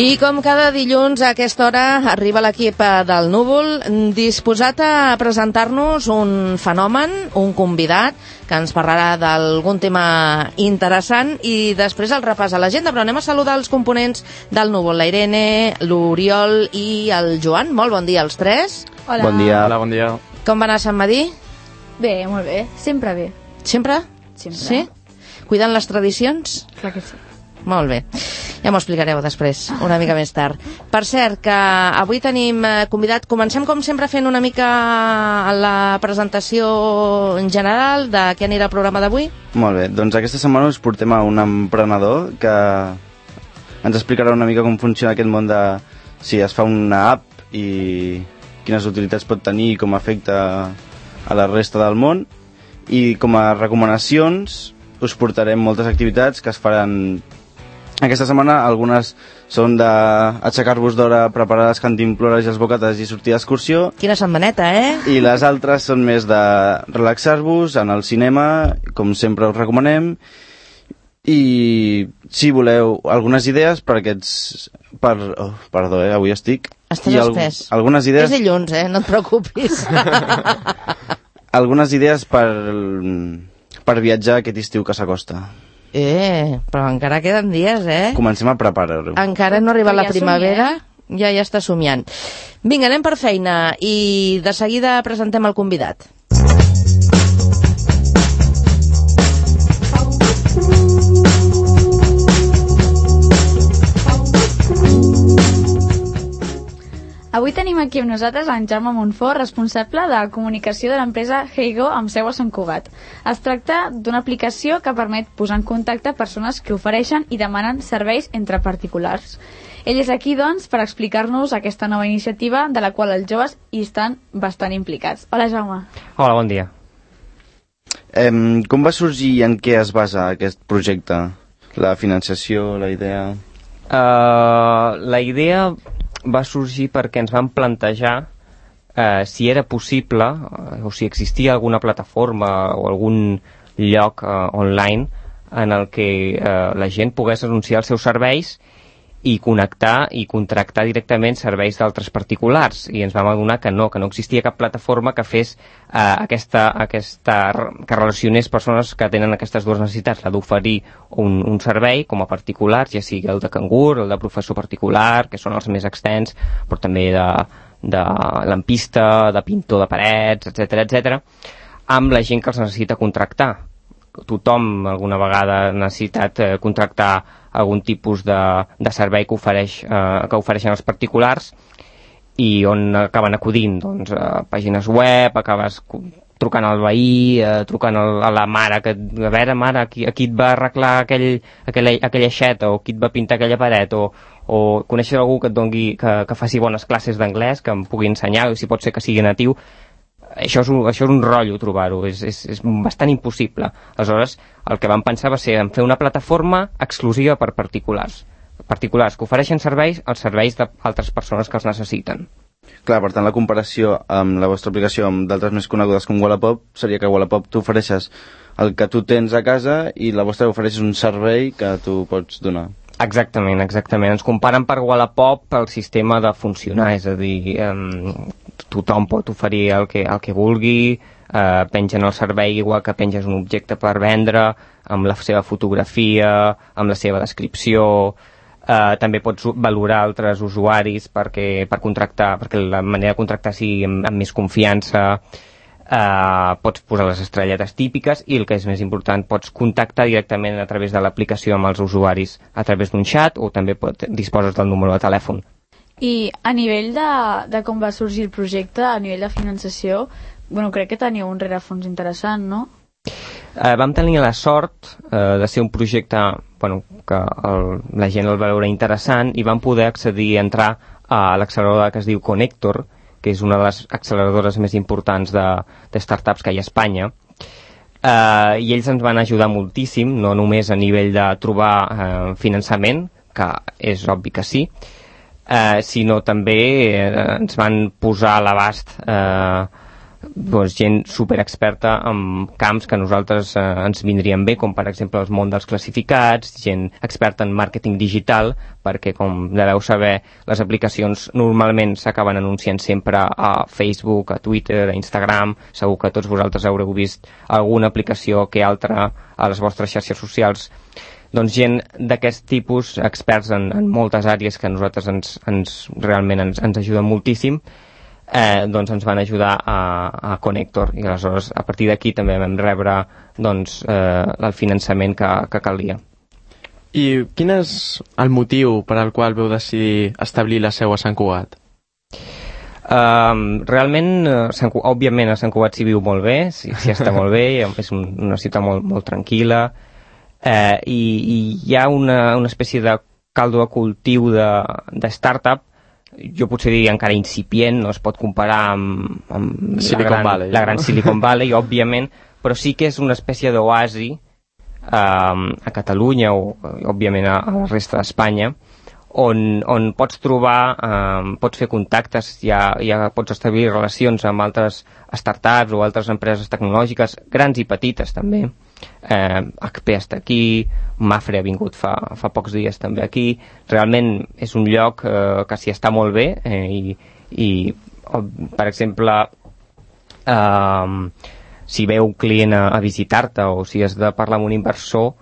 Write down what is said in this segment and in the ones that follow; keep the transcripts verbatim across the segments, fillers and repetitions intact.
I com cada dilluns a aquesta hora arriba l'equip del Núvol disposat a presentar-nos un fenomen, un convidat que ens parlarà d'algun tema interessant i després el repàs a l'agenda, però anem a saludar els components del Núvol, la Irene, l'Oriol i el Joan. Molt bon dia als tres. Hola. Bon dia. Hola, bon dia. Com va anar Sant Madí? Bé, molt bé. Sempre bé. Sempre? Sempre. Sí? Cuidant les tradicions? Clar que sí. Molt bé. Ja m'ho explicareu després, una mica més tard. Per cert, que avui tenim convidat... Comencem, com sempre, fent una mica la presentació en general de què anirà el programa d'avui. Molt bé, doncs aquesta setmana us portem a un emprenedor que ens explicarà una mica com funciona aquest món de si es fa una app i quines utilitats pot tenir i com afecta a la resta del món. I com a recomanacions us portarem moltes activitats que es faran aquesta setmana. Algunes són d'aixecar-vos d'hora, preparar les cantimplores i els bocates i sortir d'excursió. Quina setmaneta, eh? I les altres són més de relaxar-vos, anar al cinema, com sempre us recomanem. I si voleu algunes idees per aquests... Per... Oh, perdó, eh? Avui estic... Estàs al... estès. Algunes idees... És dilluns, eh? No et preocupis. Algunes idees per... per viatjar aquest estiu que s'acosta. Eh, però encara queden dies, eh? Comencem a preparar-ho. Encara no ha arribat la Ja primavera, somia. ja ja està somiant. Vinga, anem per feina i de seguida presentem el convidat. Avui tenim aquí amb nosaltres en Jaume Montfort, responsable de comunicació de l'empresa Heygo amb seu a Sant Cugat. Es tracta d'una aplicació que permet posar en contacte persones que ofereixen i demanen serveis entre particulars. Ell és aquí, doncs, per explicar-nos aquesta nova iniciativa de la qual els joves hi estan bastant implicats. Hola, Jaume. Hola, bon dia. Eh, com va sorgir i en què es basa aquest projecte? La financiació, la idea... Uh, la idea va sorgir perquè ens vam plantejar eh, si era possible, eh, o si existia alguna plataforma o algun lloc eh, online en el que eh, la gent pogués anunciar els seus serveis i connectar i contractar directament serveis d'altres particulars, i ens vam adonar que no, que no existia cap plataforma que fes eh, aquesta, aquesta, que relacionés persones que tenen aquestes dues necessitats, la d'oferir un, un servei com a particulars, ja sigui el de cangur, el de professor particular, que són els més extens, però també de, de lampista, de pintor de parets, etcètera, etcètera, amb la gent que els necessita contractar. Tothom alguna vegada ha necessitat eh, contractar algun tipus de, de servei que, ofereix, eh, que ofereixen els particulars, i on acaben acudint, doncs, a pàgines web, acabes trucant al veí, eh, trucant al, a la mare, que, a veure, mare, aquí, aquí et va arreglar aquell, aquella, aquella aixeta, o qui et va pintar aquella paret, o, o coneixes algú que et dongui, que, que faci bones classes d'anglès, que em pugui ensenyar, o si pot ser que sigui natiu. Això és, un, això és un rotllo trobar-ho, és, és, és bastant impossible. Aleshores, el que vam pensar va ser en fer una plataforma exclusiva per particulars. Particulars que ofereixen serveis als serveis d'altres persones que els necessiten. Clar, per tant, la comparació amb la vostra aplicació amb d'altres més conegudes com Wallapop seria que a Wallapop tu ofereixes el que tu tens a casa i la vostra ofereixes un servei que tu pots donar. Exactament, exactament. Ens comparen per Wallapop pel sistema de funcionar, és a dir, eh, tothom pot oferir el que, el que vulgui, eh, pengen el servei igual que penges un objecte per vendre, amb la seva fotografia, amb la seva descripció, eh, també pots valorar altres usuaris perquè, per contractar, perquè la manera de contractar sigui amb, amb més confiança. Uh, pots posar les estrelletes típiques i el que és més important, pots contactar directament a través de l'aplicació amb els usuaris a través d'un xat, o també pot, disposes del número de telèfon. I a nivell de, de com va sorgir el projecte, a nivell de finançació, bueno, crec que teniu un rerefons interessant, no? Uh, vam tenir la sort uh, de ser un projecte, bueno, que el, la gent el va veure interessant, i vam poder accedir a entrar a l'acceleradora que es diu Connector, que és una de les acceleradores més importants de, de startups que hi ha a Espanya. Eh, I ells ens van ajudar moltíssim, no només a nivell de trobar eh, finançament, que és obvi que sí, eh, sinó també eh, ens van posar a l'abast eh, doncs, gent superexperta en camps que a nosaltres eh, ens vindrien bé, com per exemple el món dels classificats, gent experta en màrqueting digital, perquè com deveu saber, les aplicacions normalment s'acaben anunciant sempre a Facebook, a Twitter, a Instagram. Segur que tots vosaltres haureu vist alguna aplicació que altra a les vostres xarxes socials. Doncs gent d'aquest tipus, experts en, en moltes àrees que a nosaltres ens, ens, realment ens, ens ajuden moltíssim, Eh, doncs ens van ajudar a, a Connector, i aleshores a partir d'aquí també vam rebre doncs, eh, el finançament que, que calia. I quin és el motiu per al qual veu decidir establir la seu a Sant Cugat? Uh, realment, Sant, òbviament a Sant Cugat s'hi viu molt bé, s'hi està molt bé, és un, una ciutat molt, molt tranquil·la, eh, i, i hi ha una, una espècie de caldo de cultiu de, de startup. Jo potser diria encara incipient, no es pot comparar amb, amb Silicon la, gran, Valley, la no? gran Silicon Valley, òbviament, però sí que és una espècie d'oasi eh, a Catalunya o, òbviament, a, a la resta d'Espanya, on, on pots trobar, eh, pots fer contactes, ja, ja pots establir relacions amb altres startups o altres empreses tecnològiques, grans i petites també. Eh, H P està aquí, Mafre ha vingut fa, fa pocs dies també aquí. Realment és un lloc eh, que s'hi està molt bé, eh, i, i per exemple eh, si ve un client a, a visitar-te o si has de parlar amb un inversor,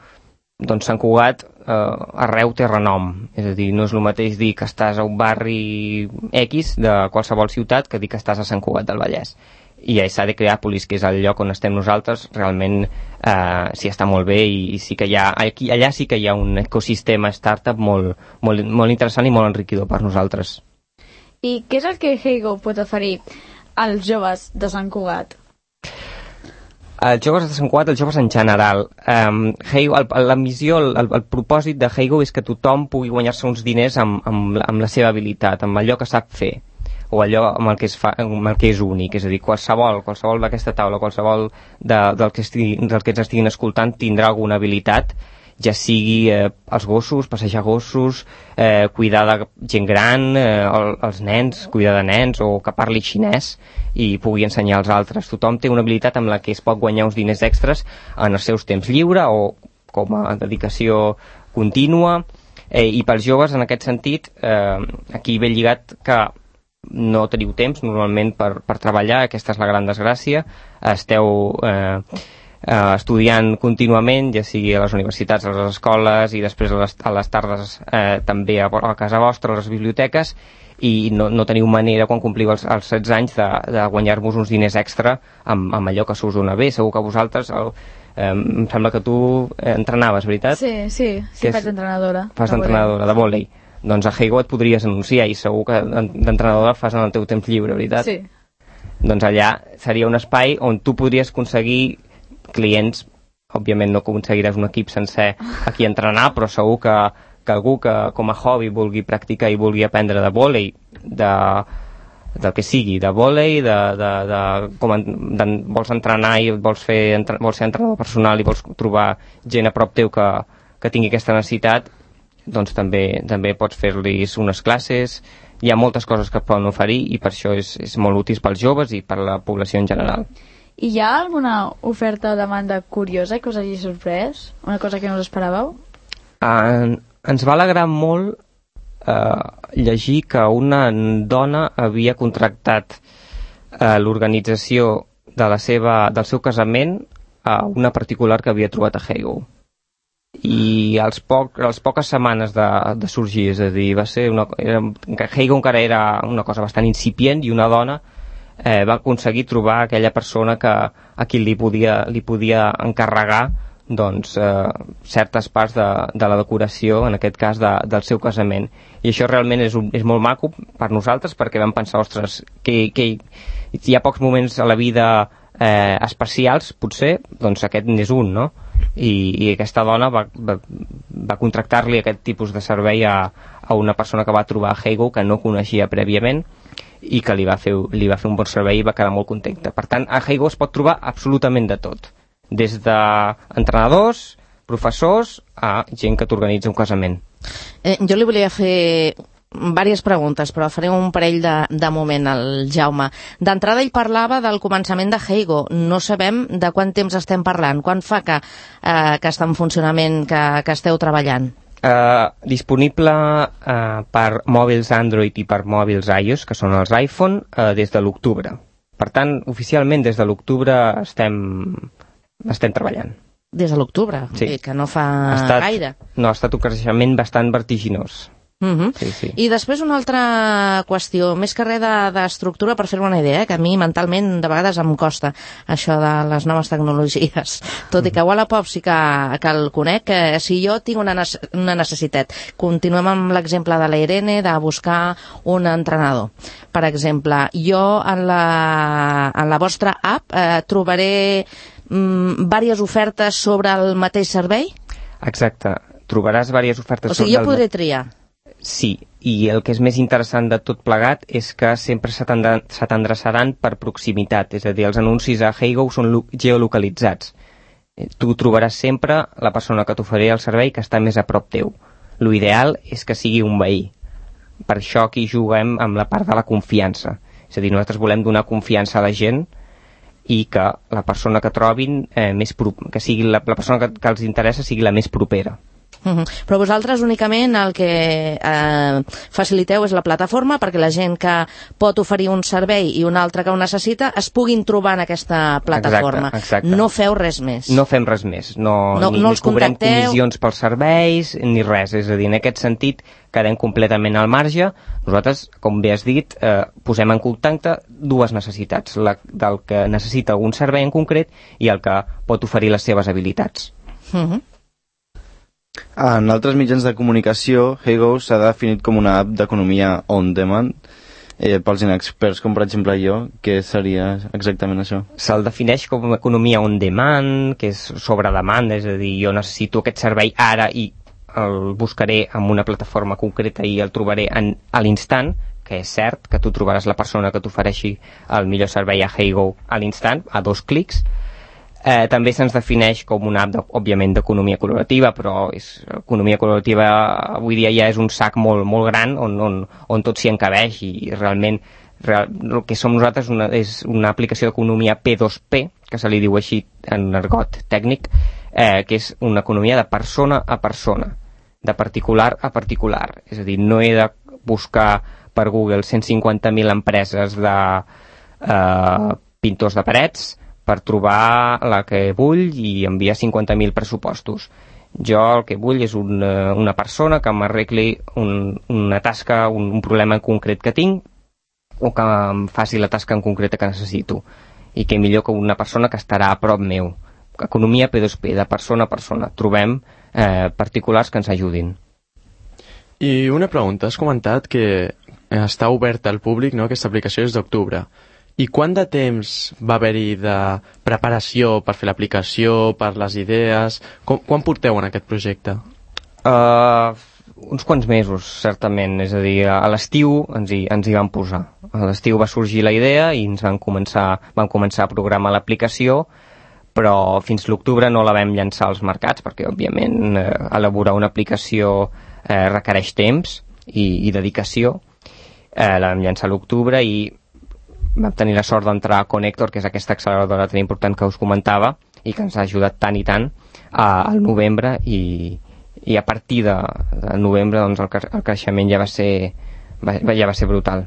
doncs Sant Cugat eh, arreu té renom, és a dir, no és el mateix dir que estàs a un barri X de qualsevol ciutat que dir que estàs a Sant Cugat del Vallès. I a Esa de Creàpolis, que és el lloc on estem nosaltres, realment eh, s'hi està molt bé, i, i sí que hi ha, aquí, allà sí que hi ha un ecosistema startup molt, molt, molt interessant i molt enriquidor per nosaltres. I què és el que Heygo pot oferir als joves de Sant Cugat? Els joves de Sant Cugat, els joves en general. Um, Heygo, el, la missió, el, el propòsit de Heygo és que tothom pugui guanyar-se uns diners amb, amb, amb la seva habilitat, amb allò que sap fer, o allò amb el que, es fa, amb el que és únic. És a dir, qualsevol, qualsevol d'aquesta taula, qualsevol de, del, que estigui, del que ens estiguin escoltant tindrà alguna habilitat, ja sigui eh, els gossos, passejar gossos, eh, cuidar de gent gran, eh, el, els nens, cuidar de nens, o que parli xinès i pugui ensenyar als altres. Tothom té una habilitat amb la que es pot guanyar uns diners extras en els seus temps lliure o com a dedicació contínua, eh, i pels joves en aquest sentit eh, aquí ve lligat que no teniu temps normalment per, per treballar, aquesta és la gran desgràcia, esteu eh, eh, estudiant contínuament, ja sigui a les universitats, a les escoles i després a les, a les tardes eh, també a, a casa vostra, a les biblioteques, i no, no teniu manera quan compliu els, els setze anys de, de guanyar-vos uns diners extra amb, amb allò que se us dona bé. Segur que vosaltres el, eh, em sembla que tu entrenaves, veritat? Sí, sí, sí, faig d'entrenadora. Fas d'entrenadora de vòlei. Doncs a Heygo et podries anunciar i segur que d'entrenadora fas en el teu temps lliure, veritat? Sí. Doncs allà seria un espai on tu podries aconseguir clients. Òbviament no aconseguiràs un equip sencer aquí a entrenar, però segur que, que algú que com a hobby vulgui practicar i vulgui aprendre de vòlei, de, del que sigui, de vòlei, de, de, de, com en, de, vols entrenar i vols, fer, entre, vols ser entrenador personal i vols trobar gent a prop teu que, que tingui aquesta necessitat, doncs també, també pots fer-los unes classes. Hi ha moltes coses que poden oferir i per això és, és molt útil pels joves i per la població en general. I hi ha alguna oferta o demanda curiosa que us hagi sorprès? Una cosa que no us esperàveu? En, ens va alegrar molt eh, llegir que una dona havia contractat eh, l'organització de la seva, del seu casament a una particular que havia trobat a Heygo. I als poc, a les poques setmanes de, de sorgir, és a dir, va ser una, era, Heygo encara era una cosa bastant incipient i una dona eh, va aconseguir trobar aquella persona que, a qui li podia, li podia encarregar doncs, eh, certes parts de, de la decoració, en aquest cas de, del seu casament. I això realment és, un, és molt maco per nosaltres, perquè vam pensar, ostres, que, que hi ha pocs moments a la vida eh, especials, potser, doncs aquest n'és un, no? I, i aquesta dona va, va, va contractar-li aquest tipus de servei a, a una persona que va trobar a Heygo que no coneixia prèviament i que li va, fer, li va fer un bon servei i va quedar molt contenta. Per tant, a Heygo es pot trobar absolutament de tot, des d'entrenadors, professors, a gent que t'organitza un casament. Eh, jo li volia fer diverses preguntes, però faré un parell de, de moment al Jaume. D'entrada ell parlava del començament de Heygo. No sabem de quant temps estem parlant. Quan fa que, eh, que està en funcionament, que, que esteu treballant? Uh, disponible uh, per mòbils Android i per mòbils iOS, que són els iPhone, uh, des de l'octubre. Per tant, oficialment des de l'octubre estem, estem treballant. Des de l'octubre? Sí. Que no fa ha estat, gaire. No, ha estat un creixement bastant vertiginós. Uh-huh. Sí, sí. I després una altra qüestió, més que res d'estructura, per fer-me una idea, eh, que a mi mentalment de vegades em costa això de les noves tecnologies, tot i que a Wallapop sí que, que el conec, eh, si jo tinc una, una necessitat, continuem amb l'exemple de la Irene de buscar un entrenador, per exemple, jo en la, en la vostra app eh, trobaré mm, diverses ofertes sobre el mateix servei? Exacte, trobaràs diverses ofertes. O sigui, jo podré triar. Sí, i el que és més interessant de tot plegat és que sempre se t'endreçaran per proximitat, és a dir, els anuncis a Heygo són geolocalitzats. Tu trobaràs sempre la persona que t'oferirà el servei que està més a prop teu. L'ideal és que sigui un veí. Per això aquí juguem amb la part de la confiança. És a dir, nosaltres volem donar confiança a la gent i que la persona que trobin, eh, més pro... que sigui la, la persona que, que els interessa sigui la més propera. Uh-huh. Però vosaltres únicament el que eh, faciliteu és la plataforma perquè la gent que pot oferir un servei i un altre que ho necessita es puguin trobar en aquesta plataforma. Exacte, exacte. No feu res més. No fem res més. No, no, ni, no ni cobrem contacteu... comissions pels serveis ni res. És a dir, en aquest sentit quedem completament al marge. Nosaltres, com bé has dit, eh, posem en contacte dues necessitats, la del que necessita algun servei en concret i el que pot oferir les seves habilitats. Uh-huh. En altres mitjans de comunicació, Heygo s'ha definit com una app d'economia on-demand. Eh, pels inexperts, com per exemple jo, què seria exactament això? Se'l defineix com economia on-demand, que és sobre demanda, és a dir, jo necessito aquest servei ara i el buscaré en una plataforma concreta i el trobaré en, a l'instant, que és cert que tu trobaràs la persona que t'ofereixi el millor servei a Heygo a l'instant, a dos clics. Eh, també se'ns defineix com una app, de, òbviament, d'economia col·laborativa, però és, economia col·laborativa avui dia ja és un sac molt, molt gran on, on, on tot s'hi encabeix i realment real, el que som nosaltres una, és una aplicació d'economia P dos P, que se li diu així en argot tècnic, eh, que és una economia de persona a persona, de particular a particular. És a dir, no he de buscar per Google cent cinquanta mil empreses de eh, pintors de parets per trobar la que vull i enviar cinquanta mil pressupostos. Jo el que vull és una, una persona que m'arregli un, una tasca, un, un problema en concret que tinc o que em faci la tasca en concreta que necessito. I que millor que una persona que estarà a prop meu. Economia P dos P, de persona a persona. Trobem eh, particulars que ens ajudin. I una pregunta, has comentat que està oberta al públic, no?, aquesta aplicació és d'octubre. I quant de temps va haver-hi de preparació per fer l'aplicació, per les idees? Com, quan porteu en aquest projecte? Uh, uns quants mesos, certament. És a dir, a l'estiu ens hi, ens hi vam posar. A l'estiu va sorgir la idea i ens van començar, vam començar a programar l'aplicació, però fins l'octubre no la vam llançar als mercats, perquè, òbviament, eh, elaborar una aplicació eh, requereix temps i, i dedicació. Eh, la vam llançar a l'octubre i vam tenir la sort d'entrar a Connector, que és aquesta acceleradora tan important que us comentava i que ens ha ajudat tant i tant a, al novembre i, i a partir de, de novembre doncs, el, el creixement ja va ser, va, ja va ser brutal.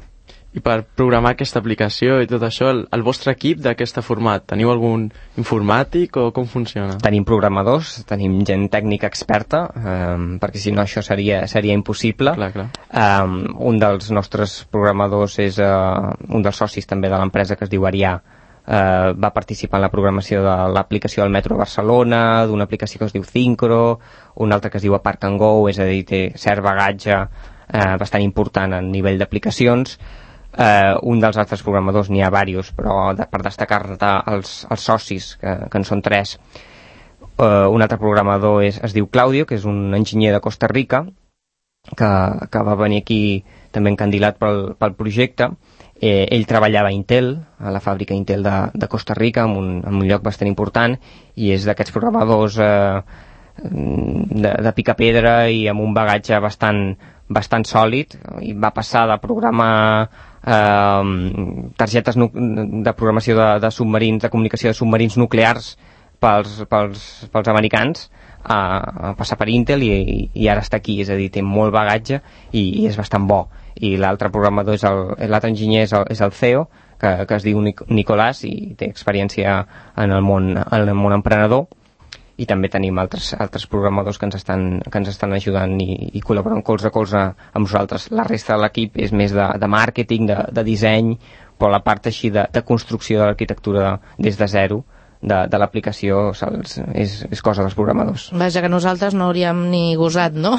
I per programar aquesta aplicació i tot això, el, el vostre equip d'aquest format, teniu algun informàtic o com funciona? Tenim programadors, tenim gent tècnica experta, um, perquè si no això seria, seria impossible. Clar, clar. Um, un dels nostres programadors és uh, un dels socis també de l'empresa que es diu Arià, uh, va participar en la programació de l'aplicació del Metro Barcelona, d'una aplicació que es diu Syncro, una altra que es diu Park and Go, és a dir, té cert bagatge uh, bastant important a nivell d'aplicacions. Uh, un dels altres programadors, n'hi ha diversos, però de, per destacar-ne els, els socis, que, que en són tres. Uh, un altre programador és, es diu Claudio, que és un enginyer de Costa Rica, que, que va venir aquí també encandilat pel, pel projecte. Eh, ell treballava a Intel, a la fàbrica Intel de, de Costa Rica, en un, en un lloc bastant important, i és d'aquests programadors eh, de, de pica pedra i amb un bagatge bastant, bastant sòlid i va passar de programar eh, targetes de programació de, de submarins, de comunicació de submarins nuclears pels, pels, pels americans a, a passar per Intel i, i ara està aquí, és a dir, té molt bagatge i, i és bastant bo. I l'altre programador és el, l'altre enginyer és el, és el C E O, que, que es diu Nic- Nicolàs i té experiència en el món, en el món emprenedor, i també tenim altres, altres programadors que ens estan, que ens estan ajudant i, i col·laboren colze a colze amb nosaltres. La resta de l'equip és més de, de màrqueting, de, de disseny, però la part així de, de construcció de l'arquitectura des de zero de, de l'aplicació és, és cosa dels programadors. Vaja, que nosaltres no hauríem ni gosat, no?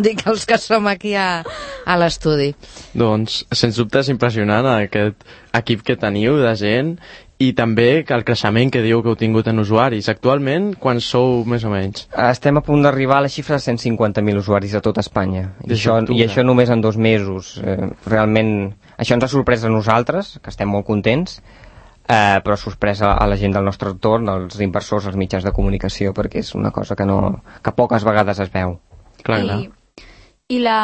Dic els que som aquí a, a l'estudi. Doncs, sens dubte és impressionant aquest equip que teniu de gent i també que el creixement que diu que heu tingut en usuaris. Actualment, quan sou més o menys? Estem a punt d'arribar a la xifra de cent cinquanta mil usuaris a tot Espanya. I això, I això només en dos mesos. Eh, realment, això ens ha sorprès a nosaltres, que estem molt contents, eh, però ha sorprès a, a la gent del nostre entorn, als inversors, als mitjans de comunicació, perquè és una cosa que, no, que poques vegades es veu. Clar, clar. I, i la,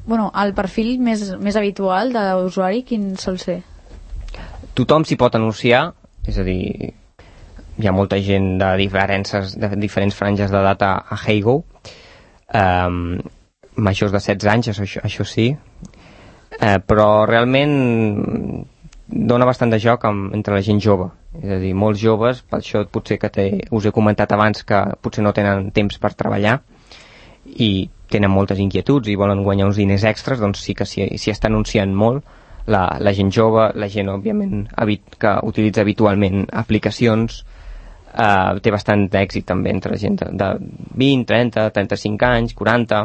bueno, el perfil més, més habitual de l'usuari, quin sol ser? Tothom s'hi pot anunciar, és a dir, hi ha molta gent de diferents, de diferents franges d'edat a, a Heygo, um, majors de setze anys, això, això sí, uh, però realment dona bastant de joc amb, entre la gent jove, és a dir, molts joves, per això potser que te, us he comentat abans que potser no tenen temps per treballar i tenen moltes inquietuds i volen guanyar uns diners extras, doncs sí que s'hi, s'hi està anunciant molt. La, la gent jove, la gent òbviament habit, que utilitza habitualment aplicacions, eh, té bastant d'èxit també entre gent de, de vint, trenta, trenta-cinc anys, quaranta,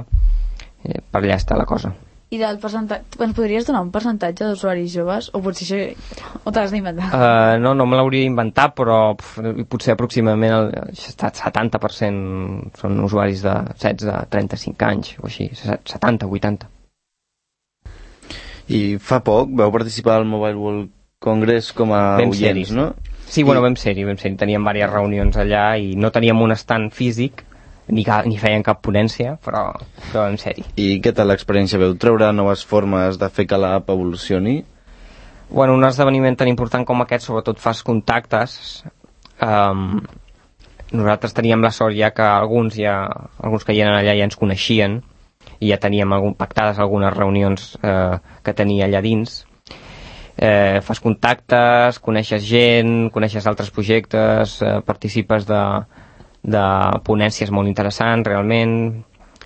eh, per allà està la cosa. I del percentatge, ens podries donar un percentatge d'usuaris joves? O potser això ho t'has d'inventar? Uh, no, no me l'hauria d'inventar, però pf, potser aproximadament el setanta per cent són usuaris de setze a trenta-cinc anys, o així, setanta, vuitanta. I fa poc vau participar al Mobile World Congress com a vam oients, no? Sí, bueno, vam ser-hi, vam ser-hi. Teníem diverses reunions allà i no teníem un stand físic, ni, ca, ni feien cap ponència, però, però vam ser-hi. I què tal l'experiència? Veu treure noves formes de fer que l'app evolucioni? Bueno, un esdeveniment tan important com aquest sobretot fas contactes. Um, nosaltres teníem la sort ja que alguns, ja, alguns que hi eren allà ja ens coneixien i ja teníem algun, pactades algunes reunions eh, que tenia allà dins. Eh, fas contactes, coneixes gent, coneixes altres projectes, eh, participes de, de ponències molt interessants realment.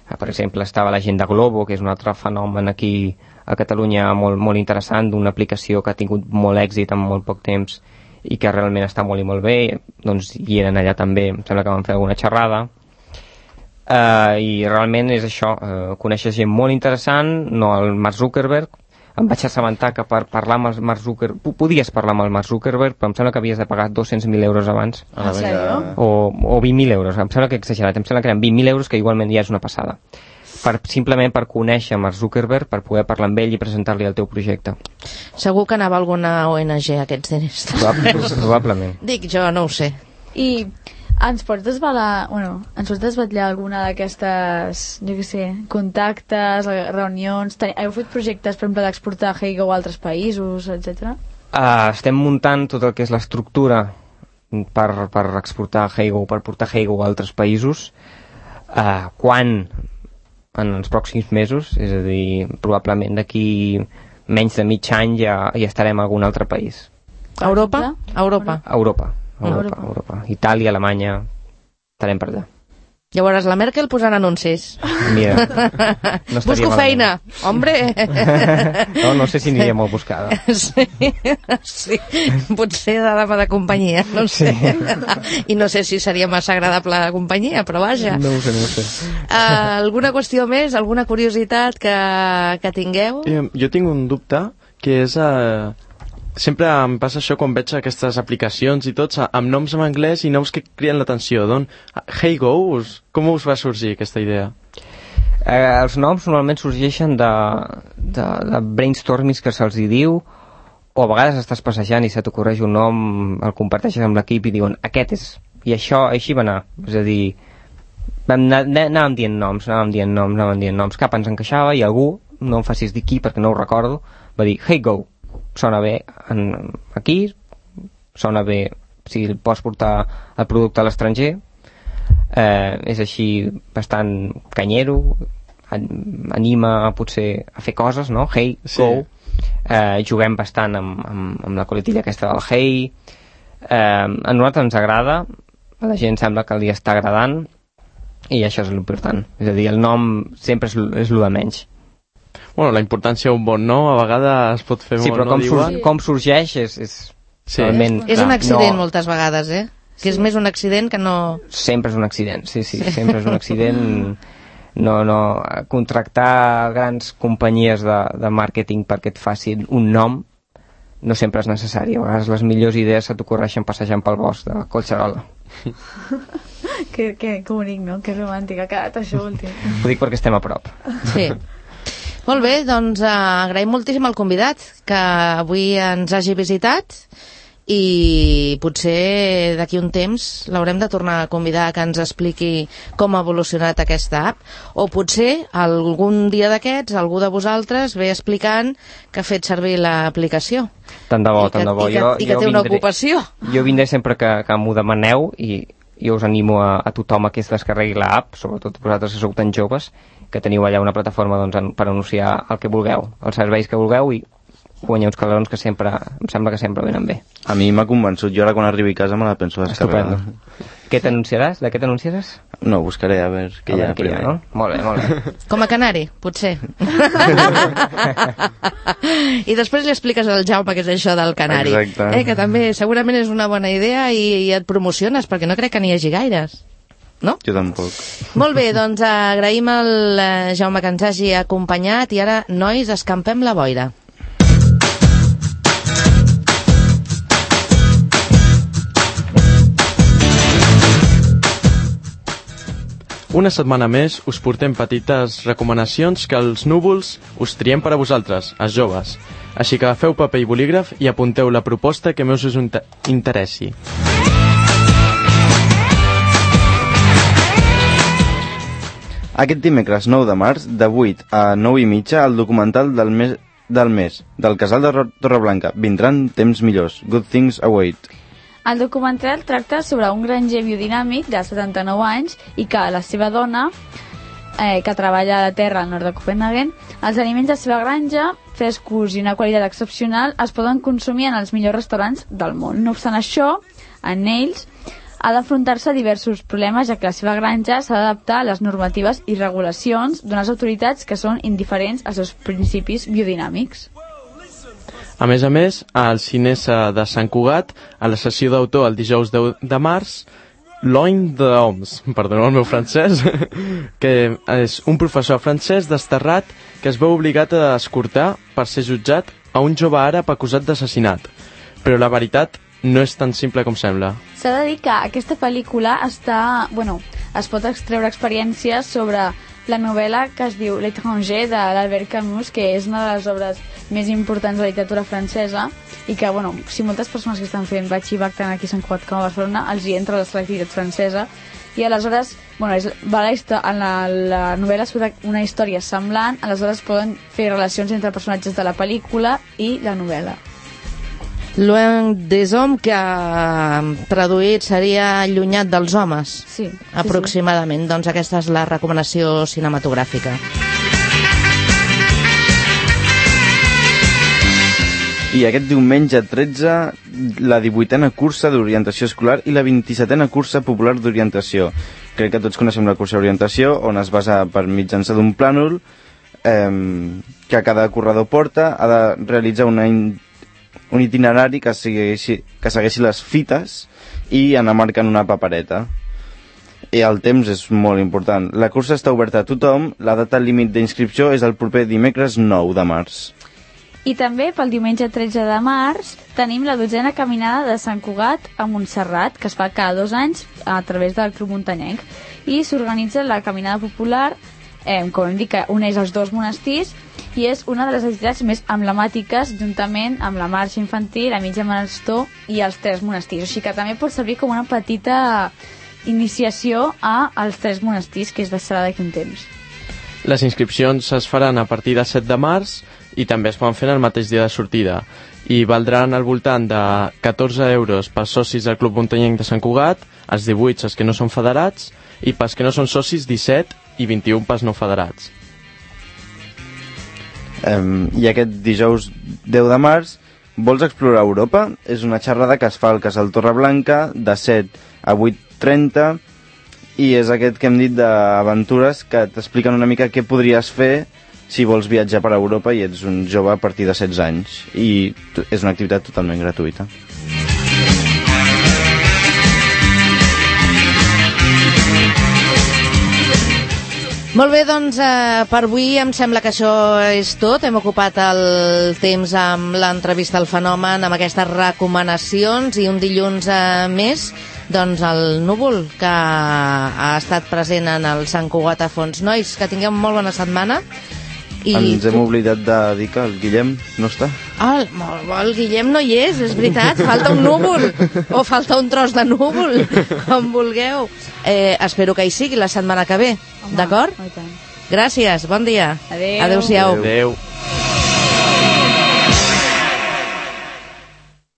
Eh, per exemple, estava la gent de Globo, que és un altre fenomen aquí a Catalunya molt, molt interessant, d'una aplicació que ha tingut molt èxit en molt poc temps i que realment està molt i molt bé. Doncs hi eren allà també, em sembla que van fer alguna xerrada. Uh, i realment és això, uh, coneixes gent molt interessant, no el Mark Zuckerberg. Em vaig assabentar que per parlar amb el Mark Zuckerberg podies parlar amb el Mark Zuckerberg, però em sembla que havies de pagar dos-cents mil euros abans. Ah, sèrio? O, o vint mil euros, em sembla que he exagerat, em sembla que eren vint mil euros, que igualment ja és una passada, per, simplement per conèixer Mark Zuckerberg, per poder parlar amb ell i presentar-li el teu projecte. Segur que anava alguna O N G aquests diners. Probablement. Dic jo, no ho sé. I ens pots desvelar, bueno, ens pots desvetllar alguna d'aquestes, jo què sé, contactes, reunions, ten... heu fet projectes, per exemple, d'exportar Heygo a altres països, etcètera? Uh, estem muntant tot el que és l'estructura per, per exportar Heygo, per portar Heygo a altres països. Uh, quan? En els pròxims mesos, és a dir, probablement d'aquí menys de mig any ja, ja estarem a algun altre país. Europa? Europa. Europa. Europa, Europa. Europa. Itàlia, Alemanya, estarem per allà. Llavors la Merkel posant anuncis. Mira, no Busco feina, hombre. No, no sé si aniria molt buscada. Sí, sí, potser de dama de companyia, no sé. Sí. I no sé si seria massa agradable de companyia, però vaja. No ho sé, no ho sé. Uh, alguna qüestió més, alguna curiositat que, que tingueu? Eh, jo tinc un dubte, que és... Eh... Sempre em passa això quan veig aquestes aplicacions i tots amb noms en anglès i noms que criden l'atenció. Doncs, Heygo, com us va sorgir aquesta idea? Eh, els noms normalment sorgeixen de, de, de brainstormings que se'ls hi diu, o a vegades estàs passejant i se t'ocorreix un nom, el comparteixes amb l'equip i diuen aquest és, i això així va anar. És a dir, vam anar, anàvem dient noms, anàvem dient noms, anàvem dient noms, cap ens encaixava i algú, no em facis dir qui perquè no ho recordo, va dir, hey go, sona bé en, aquí, sona bé si pots portar el producte a l'estranger, eh, és així bastant canyero, anima potser a fer coses, no? Hey, sí. Go, eh, juguem bastant amb, amb, amb la coletilla aquesta del hey, eh, a nosaltres ens agrada, a la gent sembla que li està agradant i això és l'important, és a dir, el nom sempre és, és el de menys. Bueno, la importància d'un bon nom a vegades es pot fer sí, molt, però no? com, sur com sorgeix és, és, sí. realment, és clar, un accident no... moltes vegades, eh? Que és més un accident que no... Sempre és un accident, sí, sí, sí. Sempre és un accident. No, no, contractar grans companyies de, de màrqueting perquè et facin un nom no sempre és necessari. A vegades les millors idees se t'ocorreixen passejant pel bosc de Collserola. que, que, que bonic, no? Que romàntic ha quedat això últim. Ho dic perquè estem a prop. Sí. Molt bé, doncs uh, agraïm moltíssim al convidat que avui ens hagi visitat i potser d'aquí un temps l'haurem de tornar a convidar que ens expliqui com ha evolucionat aquesta app, o potser algun dia d'aquests algú de vosaltres ve explicant que ha fet servir l'aplicació. Tant de bo, I tant que, de bo. I que, jo, i que jo té vindré, una ocupació. Jo vindré sempre que, que m'ho demaneu i jo us animo a, a tothom a que es descarregui l'app, sobretot vosaltres que sou tan joves, que teniu allà una plataforma doncs, en, per anunciar el que vulgueu, els serveis que vulgueu, i guanyar uns calorons que sempre, em sembla que sempre venen bé. A mi m'ha convençut, jo ara quan arribi a casa me la penso descarregar. Què t'anunciaràs? De què t'anunciaràs? No, buscaré a veure què hi ha primer. No? Molt bé, molt bé. Com a canari, potser. I després li expliques al Jaume què és això del canari. Exacte. Eh, que també segurament és una bona idea i, i et promociones, perquè no crec que n'hi hagi gaires. No? Jo tampoc. Molt bé, doncs agraïm al eh, Jaume que ens hagi acompanyat i ara, nois, escampem la boira. Una setmana més us portem petites recomanacions que els núvols us triem per a vosaltres, els joves. Així que agafeu paper i bolígraf i apunteu la proposta que més us interessi. Aquest dimecres nou de març, de vuit a nou i mitja, el documental del mes, del mes, del casal de Torreblanca. Vindran temps millors. Good things await. El documental tracta sobre un granger biodinàmic de setanta-nou anys i que la seva dona, eh, que treballa a la terra al nord de Copenhagen, els aliments de la seva granja, frescos i una qualitat excepcional, es poden consumir en els millors restaurants del món. No obstant això, en ells ha d'afrontar-se a diversos problemes, ja que la seva granja s'ha d'adaptar a les normatives i regulacions d'unes autoritats que són indiferents als seus principis biodinàmics. A més a més, al Cinesa de Sant Cugat, a la sessió d'autor el dijous deu de març, Loin d'Homs, perdoneu el meu francès, que és un professor francès desterrat que es veu obligat a escortar per ser jutjat a un jove àrab acusat d'assassinat. Però la veritat no és tan simple com sembla. S'ha de dir que aquesta pel·lícula està... Bueno, es pot extreure experiències sobre la novel·la que es diu L'Étranger de l'Albert Camus, que és una de les obres més importants de la literatura francesa i que, bueno, si moltes persones que estan fent batxillerat tant aquí a Sant Cugat com a Barcelona els hi entra la selectivitat francesa i aleshores, bueno, és, va la, en la, la novel·la sobre una història semblant, aleshores poden fer relacions entre personatges de la pel·lícula i la novel·la. Loin des hommes, que traduït seria allunyat dels homes, sí, aproximadament. Sí, sí. Doncs aquesta és la recomanació cinematogràfica. I aquest diumenge tretze, la divuitena cursa d'orientació escolar i la vint-i-setena cursa popular d'orientació. Crec que tots coneixem la cursa d'orientació, on es basa per mitjançar d'un plànol eh, que cada corredor porta, ha de realitzar una in un itinerari que segueixi, que segueixi les fites i anar marcant una papereta. I el temps és molt important. La cursa està oberta a tothom, la data límit d'inscripció és el proper dimecres nou de març. I també pel diumenge tretze de març tenim la dotzena caminada de Sant Cugat a Montserrat, que es fa cada dos anys a través del Club Muntanyenc, i s'organitza la caminada popular, eh, com hem dit, que uneix els dos monestirs, i és una de les activitats més emblemàtiques juntament amb la marxa infantil, la mitja marató i els tres monestirs. Així que també pot servir com una petita iniciació a als tres monestirs, que és de serà d'aquí un temps. Les inscripcions es faran a partir del set de març i també es poden fer el mateix dia de sortida i valdran al voltant de catorze euros pels socis del Club Muntanyenc de Sant Cugat, els divuit els que no són federats i pels que no són socis disset i vint-i-un pels no federats. Um, I aquest dijous deu de març vols explorar Europa? És una xerrada que es fa al Casal Torreblanca de set a vuit trenta i és aquest que hem dit d'aventures que t'expliquen una mica què podries fer si vols viatjar per Europa i ets un jove a partir de setze anys, i és una activitat totalment gratuïta. Molt bé, doncs eh, per avui em sembla que això és tot. Hem ocupat el temps amb l'entrevista al fenomen, amb aquestes recomanacions, i un dilluns eh, més, doncs el Núvol, que ha estat present en el Sant Cugat a Fons. Nois, que tingueu molt bona setmana. I ens hem tu... oblidat de dir que el Guillem no està. Ah, el, el Guillem no hi és, és veritat. Falta un núvol o falta un tros de núvol, com vulgueu. Eh, espero que hi sigui la setmana que ve, d'acord? Gràcies, bon dia. Adéu. Adéu-siau. Adéu.